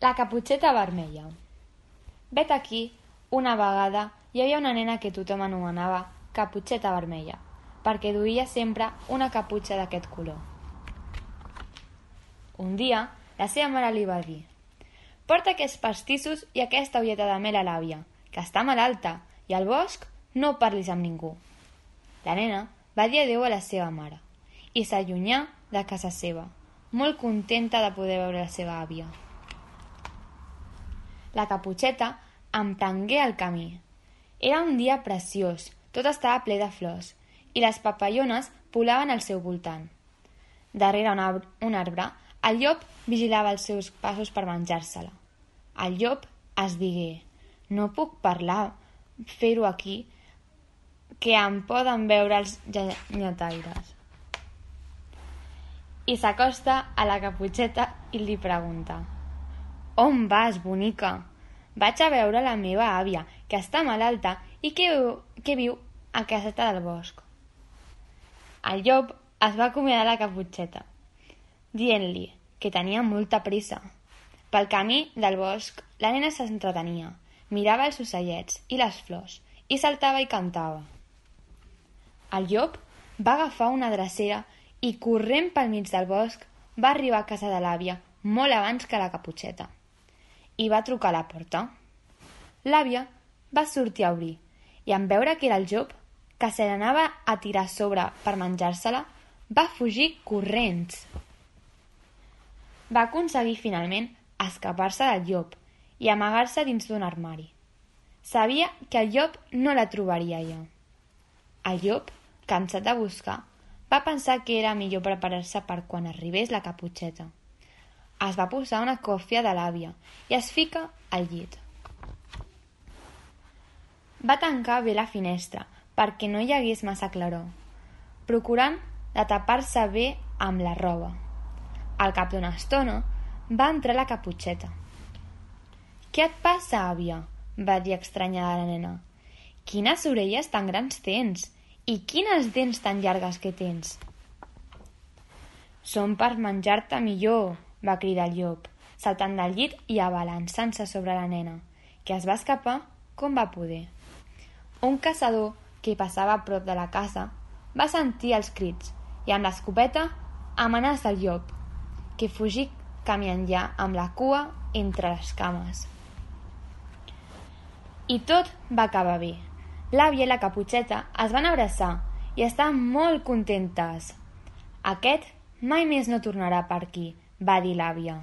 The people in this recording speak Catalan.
La caputxeta vermella. Vet aquí, una vegada hi havia una nena que tothom anomenava caputxeta vermella, perquè duia sempre una caputxa d'aquest color. Un dia, la seva mare li va dir: «Porta aquests pastissos i aquesta ulleta de mel a l'àvia, que està malalta, i al bosc no parlis amb ningú». La nena va dir adéu a la seva mare i s'allunyà de casa seva, molt contenta de poder veure la seva àvia. La caputxeta emprengué el camí. Era un dia preciós, tot estava ple de flors i les papallones volaven al seu voltant. Darrere un arbre, el llop vigilava els seus passos per menjar-se-la. El llop es digué: «No puc parlar, fer-ho aquí, que em poden veure els llenyataires». I s'acosta a la caputxeta i li pregunta: «On vas, bonica?» «Vaig a veure la meva àvia, que està malalta i que viu a caseta del bosc». El llop es va acomiadar la caputxeta, dient-li que tenia molta pressa. Pel camí del bosc, la nena s'entretenia, mirava els ocellets i les flors i saltava i cantava. El llop va agafar una drecera i, corrent pel mig del bosc, va arribar a casa de l'àvia molt abans que la caputxeta i va trucar a la porta. L'àvia va sortir a obrir i, en veure que era el llop, que se n'anava a tirar a sobre per menjar-se-la, va fugir corrents. Va aconseguir finalment escapar-se del llop i amagar-se dins d'un armari. Sabia que el llop no la trobaria allà. El llop, cansat de buscar, va pensar que era millor preparar-se per quan arribés la caputxeta. Es va posar una còfia de l'àvia i es fica al llit. Va tancar bé la finestra perquè no hi hagués massa claror, procurant de tapar-se bé amb la roba. Al cap d'una estona va entrar la caputxeta. «Què et passa, àvia?», va dir estranyada la nena. «Quines orelles tan grans tens i quines dents tan llargues que tens». «Són per menjar-te millor», va cridar el llop, saltant del llit i abalançant-se sobre la nena, que es va escapar com va poder. Un caçador que passava a prop de la casa va sentir els crits i amb l'escopeta amenaça el llop, que fugí camí enllà amb la cua entre les cames. I tot va acabar bé. L'àvia i la caputxeta es van abraçar i estaven molt contentes. «Aquest mai més no tornarà per aquí», va dir l'àvia.